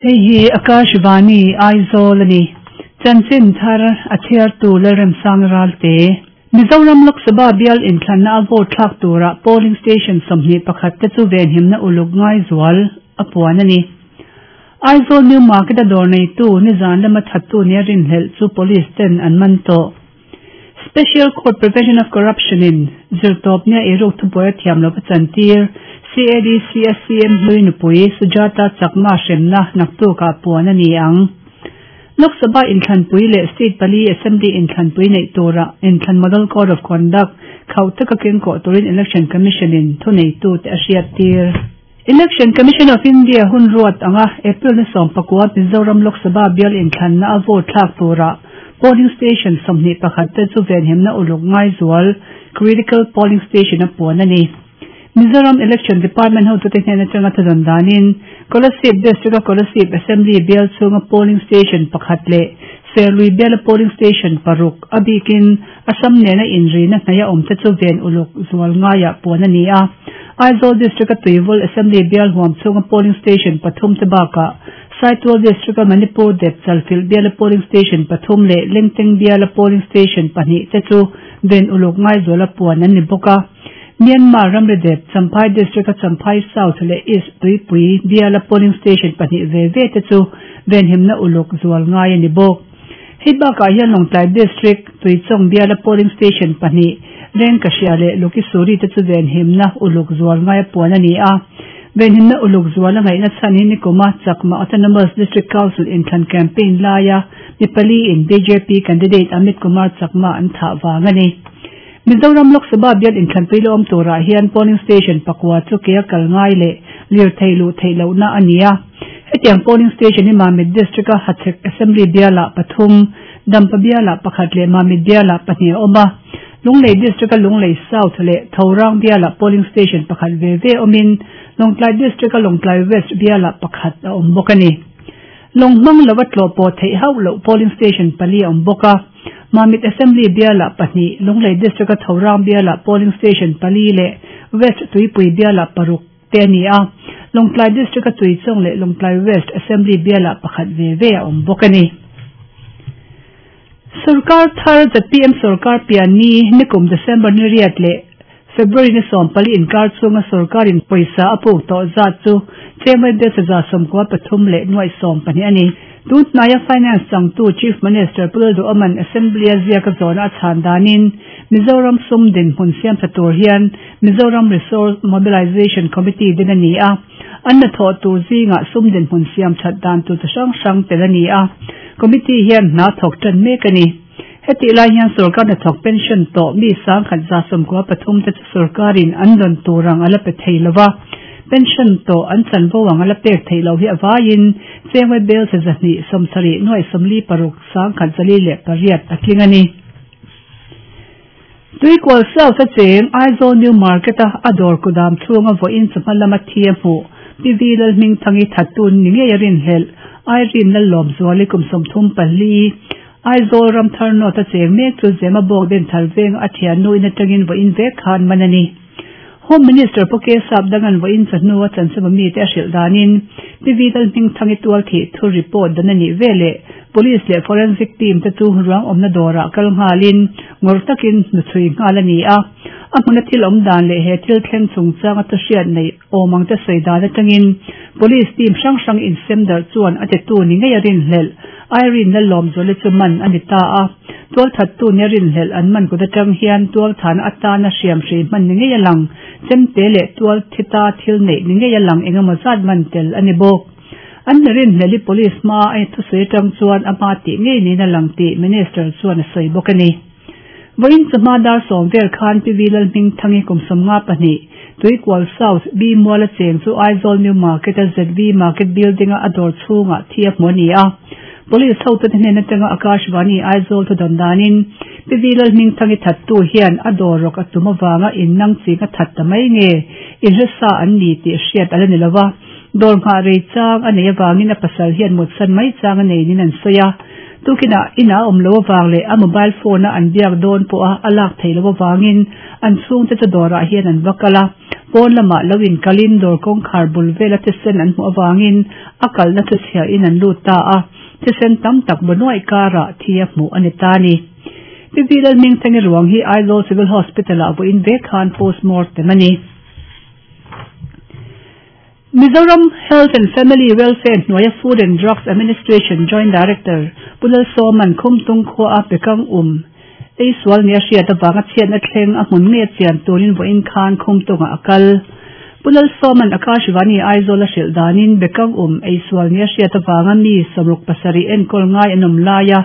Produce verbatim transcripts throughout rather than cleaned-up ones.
Hei hi Akashvani Aizawl ani. Chanchin thar a chhiartu Lalremsang Ralte. Mizoram Lok Sabha bial inthlanna a vote thlak tura polling station sawmhnih pakhat te chu venhimna uluk ngai zual a puan ani. Aizawl New Market a dawr neitu nizan lama thattu nia rinhlelh chu police ten an man tawh. Special Court Prevention of Corruption in zirtawp nia eiruk thubuai a thiam lova chantir C A D C S C M hlui nupui Sujata Chakma hremna naktukah puan a ni ang. Lok Sabha inthlanpui leh State pali Assembly inthlanpui neih tura inthlan Model Code of Conduct khauh taka keng kawh turin Election Commission in thuneitu te a hriat tir. Election Commission of India hun ruat anga April ni sawm pakua Mizoram Lok Sabha bial inthlanna a vote thlak tura polling station sawmhnih pakhat te chu venhimna uluk ngai zual critical polling station a puan a ni. Mizoram Election Department hotute hnen atanga thudawn danin Kolasib District a Kolasib Assembly bial chunga polling station pakhat leh Serlui biala polling station paruk a bikin Assam nena inrina hnaia awm te chu ven uluk zual ngaia puan a ni a. Aizawl District a Tuivul Assembly bial huam chunga polling station pathum te bakah Saitual District a Manipur dep Chalfilh biala polling station pathum leh Lengteng biala polling station pahnih te chu ven uluk ngai zuala puan an ni bawk a. Myanmar ramri dep Champhai District a Champhai South leh East Tuipui biala polling station pahnih ve ve te chu venhimna uluk zual ngai a ni bawk. Hei bakah hian Lawngtlai District Tuichawng biala polling station pahnih Rengkahria leh Lukisuri te chu venhimna uluk zual ngai a puan a ni a. Venhimna uluk zual a ngaihna chhan hi nikuma Chakma Autonomous District Council inthlan campaign laia mi pali in B J P candidate Amit Kumar Chakma an thah vang a ni. Mizoram Lok Sabha bial inthlanpui la awm turah hian polling station pakua chu ke a kal ngai leh lir thei luh theih lohna a ni a. Hetiang polling station hi Mamit District a Hachhek Assembly bialah pathum, Dampa bialah pakhat leh Mamit bialah pahnih a awm a. Lunglei District a Lunglei South leh Thorang bialah polling station pakhat ve ve awmin Lawngtlai District a Lawngtlai West bialah pakhat a awm bawk a ni. Lawnghmang lova tlawh pawh theih hauh loh polling station pali a awm bawk a. Mamit Assembly bialah pahnih, Lunglei District a Thorang bialah polling station pali leh West Tuipui bialah paruk te a ni a. Lawngtlai District a Tuichawng leh Lawngtlai West Assembly bialah pakhat ve ve a awm bawk a ni. Sarkar thar Z P M Sarkar pian ni nikum December ni riat leh February ni sawm pali inkar chunga sarkarin pawisa a puk tawh zat chu chemai bel chaza sawmkua pathum leh nuai sawm pahnih a ni. Tunhnai a Finance changtu Chief Minister Pu Lalduhoman Assembly a ziak a zawna a chhan danin Mizoram sum dinhmun siam tha tur hian Mizoram Resource Mobilization Committee din a ni a. An na thawh tur zingah sum dinhmun siam that dan tur chi hrang hrang tel a ni a. Committee hian hna thawk tan mek a ni. Heti lai hian sarkar na thawk pension tawh mi sang khat za sawmkua pathum te chu sarkarin an rawn turang a la pe thei lova. Pension tawh an chanvo ang a la pek thei lo hi a vaiin chengwai bel che zahnih sawmsarih nuai sawmli paruk sang khat zali leh pariat a tling a ni. Tuikual South a cheng Aizawl New Market a a dawr kudam chhunga vawiin chawhma lama thi a hmuh P V Lalhming thangi thattu ni ngei a rinhlelh Irene Lallawm zuali kum sawmthum pali Aizawl Ramthar North a cheng mek chu Zema bawk den thar veng a thian nuin atangin vawiin vek khan man a ni. Home Minister Poke Sap dangan vawiin chawhnu a chansama mi te a hrilh danin P V Lalhming thangi tual thih thu report dan a nih vele police leh forensic team te chu ruang awmna dawrah kal nghalin ngawr takin hnuchhui nghal a ni a. A hmuna thil awm dan leh he thil thleng chungchang a thuhriat nei awmang te sawi dan atangin police team hrang hrang insem darh chuan a titu ni ngei a rinhlelh Irene Lallawm zuali chu man a ni ta a. Tual thattu ni a rinhlelh an man kut atang hian tual thana atana hriam hrei hman ni ngei a lang chemte leh tual thita thil neih ni ngei a lang engemaw zat man tel a ni bawk. An mi rinhlelhi police hma a thusawi atang chuan a hma tih ngei niin a lang tih minister chuan a sawi bawk a ni. Vawiin chawhma dar sawm vel khan P V Lalhming thangi kum sawmnga pahnih Tuikual South B Mual a cheng chu Aizawl New Market a Z V Market Building a a dawr chhungah thi a hmu a ni a. Police hotute hnen atanga Akashvani Aizawl thudawn danin P V Lalhming thangi thattu hian a dawr rawk a tum awanga innang ching a that ta mai nge inhresa an ni tih hriat ala ni lova. Dawr nghah rei chang a nei awangin a pasal hian mutsan mai chang a nei nin an sawi a. Tukina ina awm lo awang leh a mobile phone a an biak dawn pawh a a lak thei lo awangin an chhungte chu dawrah hian an va kal a. Pawn lamah lo in kalin dawr kawngkhar bul vela thisen an hmuh awangin a kalna thu chhiahin an lut ta a. Thisen tam tak banuai karah thi a hmuh a ni ta ni. Pi V Lalhmingthangi ruang hi Aizawl Civil Hospital ah vawiin vek khan postmortem a ni. Mizoram Health and Family Welfare hnuaia Food and Drugs Administration Joint Director Pu Lalsawma'n Khumtung khua a Bekang um ei sual nia hriat avanga chhiatna thleng a hmun nge chian turin vawiin khan Khumtungah a kal. Pu Lalsawma'n Akashvani Aizawl a hrilh danin Bekang um ei sual nia hriat avanga mi sawmruk pasarih enkawl ngai an awm laia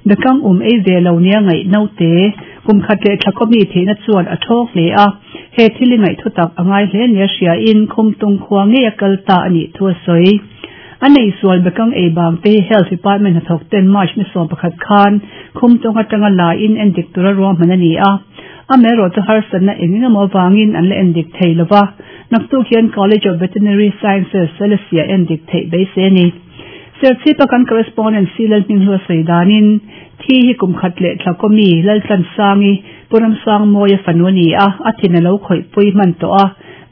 Bekang um ei ve lo nia ngaih naute kum khat leh thla kawmi theihna chuan a thawk hle a. He thil i ngaih thu tak a ngai hle nia hriain Khumtung khua ngei a kal ta a nih thu a sawi. A nei sual Bekang ei bang te hi Health Department hnathawk ten March ni sawm pakhat khan Khumtung atanga la in endik tura ruahman a ni a. Amaherawh chu harsatna eng eng emaw avangin an la endik thei lova. Naktuk hian College of Veterinary Sciences Selesih ah endik theih beisei a ni. Serchhipa kan correspondent C Lalhminghlu a sawi danin thi hi kum khat leh thla kawmi Laltlansangi Puramsang Mawia fanu a ni a, a thin a lo khawih pui hman tawh a.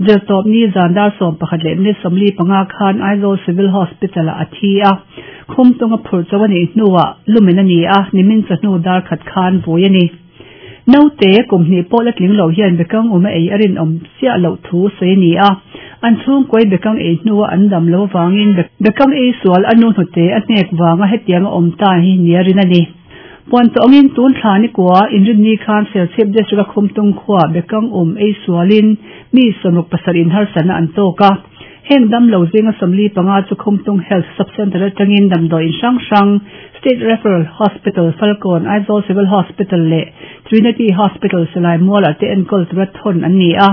Zirtawp ni zan dar sawm pakhat leh minute sawmli panga khan Aizawl Civil Hospital ah a thi a. Khumtung a phurh chaw a nih hnuah lumen a ni a, nimin chawhnu dar khat khan vui a ni. Naute kum hnih pawh la tling lo hian Bekang um a ei a rinawm chiah loh thu sawi a ni a. An chhungkawi Bekang ei hnua an dam lo avangin Bekang ei sual a nu hnute a hnek vanga hetiang a awm ta hi nia rin a ni. Puan tawngin tun thla ni kua inrinni khan Serchhip District a Khumtung khua Bekang um ei sualin mi sawmruk pasarih in harsatna an tawk a. Heng dam lo zinga sawmli panga chu Khumtung Health Sub-Centre atangin damdawi in hrang hrang State Referral Hospital Falkawn, Aizawl Civil Hospital leh Trinity Hospital Silai Mualah te enkawl tura thawn an ni a.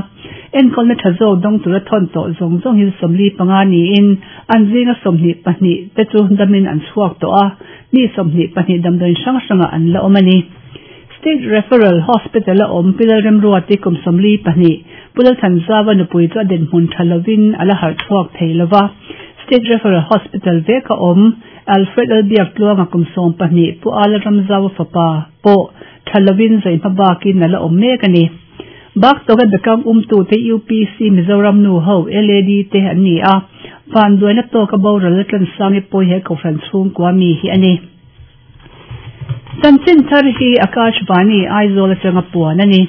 Enkawlna tha zawk dawng tura thawn tawh zawng zawng hi sawmli panga niin an zinga sawmhnih pahnih te chu damin an chhuak tawh a, mi sawmhnih pahnih damdawiin hrang hrangah an la awm a ni. State Referral Hospital a awm Pi Lalremruati kum sawmli pahnih, Pu Lalthanzava nupui chu a dinhmun tha lovin a la harh chhuak thei lova. State Referral Hospital vek a awm Alfred Lalbiak Tluanga kum sawm pahnih, Pu Ala Ramzaua fapa pawh tha lovin zaihma bakin a la awm mek a ni. Bak tawka Bekang umtute U P C Mizoram nu ho L A D te an ni a, vanduaina tawka boral a tlansangi pawi he kohhran chhungkua mi hi a ni. Chanchin thar hi Akashvani Aizawl atanga puan a ni.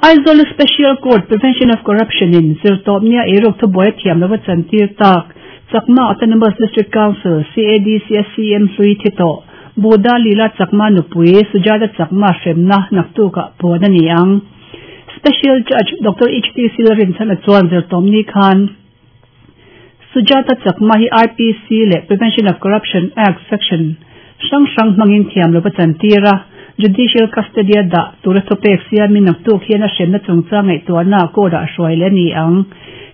Aizawl Special Court Prevention of Corruption in zirtawp nia eiruk thubuai a thiam lova chantir tak Chakma Autonomous District Council, C A D C a C M hlui thi tawh Buddha Lila Chakma nupui Sujata Chakma hremna naktukah puan a ni ang. Special Judge Doctor H T Silrinchhana chuan zirtawp ni khan Sujata Chakma hi I P C leh Prevention of Corruption Act section hrang hrang hmangin thiam lova chantir a, judicial custody a dah tura thupek siamin naktuk hian a hremna chungchang ngaihtuahna court ah hruai leh a ni ang.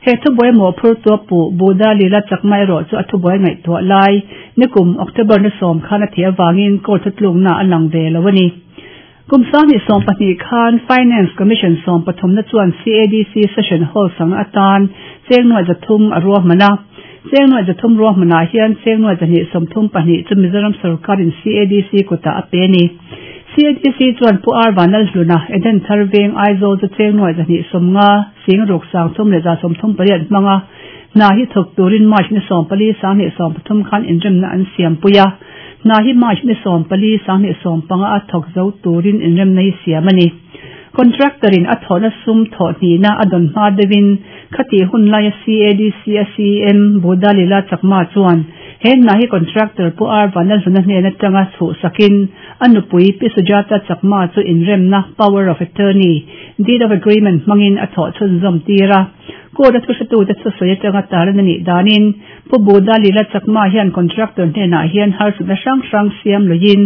He thubuai mawhphur tua pu Buddha Lila Chakma erawh chu a thubuai ngaihtuah lai nikum October ni sawm khan a thih avangin court thutlukna a lang ve lo a ni. Kum sanghnih sawm pahnih khan Finance Commission sawm pathumna chuan C A D C Session Hall sanga atan chengnuai zathum a ruahman a. Chengnuai zathum ruahmanah hian chengnuai zahnih sawmthum pahnih chu Mizoram sarkarin C A D C kutah a pe a ni. C A D C chuan Pu R Vanlalhluna Eden Thar Veng Aizawl chu chengnuai zahnih sawmnga sing ruk sangthum leh za sawmthum pariat hmanga hna hi thawk turin March ni sawm pali sanghnih sawm pathum khan inremna an siampui a. Hna hi March ni sawm pali sanghnih sawm panga a thawk zo turin inremna hi siam a ni. Contractor in a thawhna sum thawh hnihna a dawn hma deuhin khati hun laia C A D C a C M Buddha Lila Chakma chuan he hna hi contractor Pu R Vanlalhluna hnen atanga chhuh sakin a nupui Pi Sujata Chakma chu inremna power of attorney deed of agreement hmangin a thawh chhunzawm tir a. Court a thuhretute chu sawi atanga taran a nih danin Pu Buddha Lila Chakma hian contractor hnenah hian harsatna hrang hrang siam luiin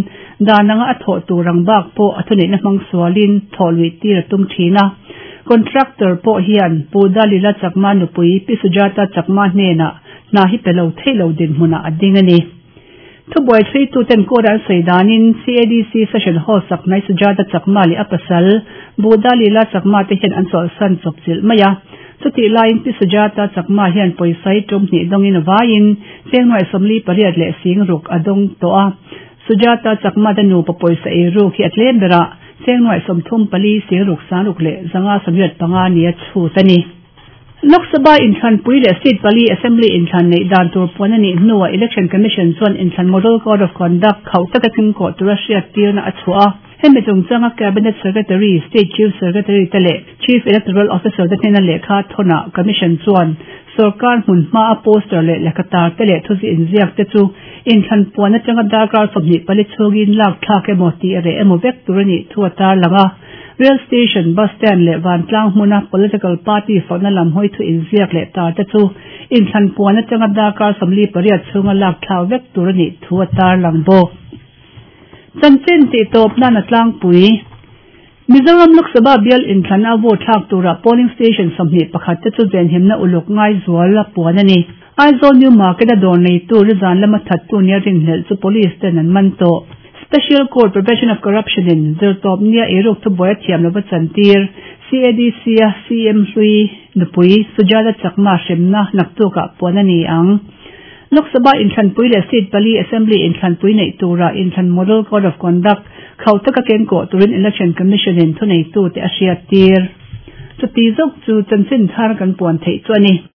dananga a thawh tur ang bak pawh a thuneihna hmang sualin thawh luih tir a tum thin a. Contractor pawh hian Buddha Lila Chakma nupui Pi Sujata Chakma hnenah hna hi pe lo thei lo dinhmunah a ding a ni. Thubuai thluituten court an sawi danin C A D C Session Hall sak hnai Sujata Chakma leh a pasal Buddha Lila Chakma te hian an chawlhsan chawp chilh mai a. Chutih laiin Pi Sujata Chakma hian pawisa hi tum hnih dawngin a vaiin chengnuai sawmli pariat leh sing ruk a dawng tawh a. Sujata Chakma te nupa pawisa eiruk hi a tlem berah cheng nuaih sawmthum pali singruk sangruk leh zanga sawmriat panga nia chhut a ni. Lok Sabha inthlanpui leh seat pali Assembly inthlan neih dan tur puan a nih hnuah Election Commission chuan inthlan Model Code of Conduct khauh taka kengkawh tura hriat tirna a chhuah a. Hemi chungchanga Cabinet Secretary, State Chief Secretary te leh Chief Electoral Officer te hnena lehkha thawnah Commission chuan sorkar hmun hmaa poster leh lehkha tar te leh thuzi inziak te chu inthlan puan atanga darkar sawmhnih pali chhungin lak thlak emaw tih reh emaw vek tur a nih thu a tarlang a. Rail station, bus stand leh vantlang hmuna political party fakna lam hawi thu inziak leh tar te chu inthlan puan atanga darkar sawmli pariat chhunga lak thlak vek tur a nih thu a tarlang bawk. Chanchin tih tawp nan a tlangpui. Mizoram Lok Sabha bial inthlan a vote thlak tura polling station sawmhnih pakhat te chu venhimna uluk ngai zual a puan a ni. Aizawl New Market a dawr neitu rizan lama thattu nia rinhlelh chu police ten an man tawh. Special Court Prevention of Corruption in zirtawp nia eiruk thubuai a thiam lova chantir C A D C a C M hlui nupui Sujata Chakma hremna naktukah puan a ni ang. Lok Sabha inthlanpui leh seat pali Assembly inthlanpui neih tura inthlan Model Code of Conduct khauh taka kengkawh turin Election Commission in thuneitu te a hriat tir. Chuti zawk chu chanchin thar kan puan theih chu a ni.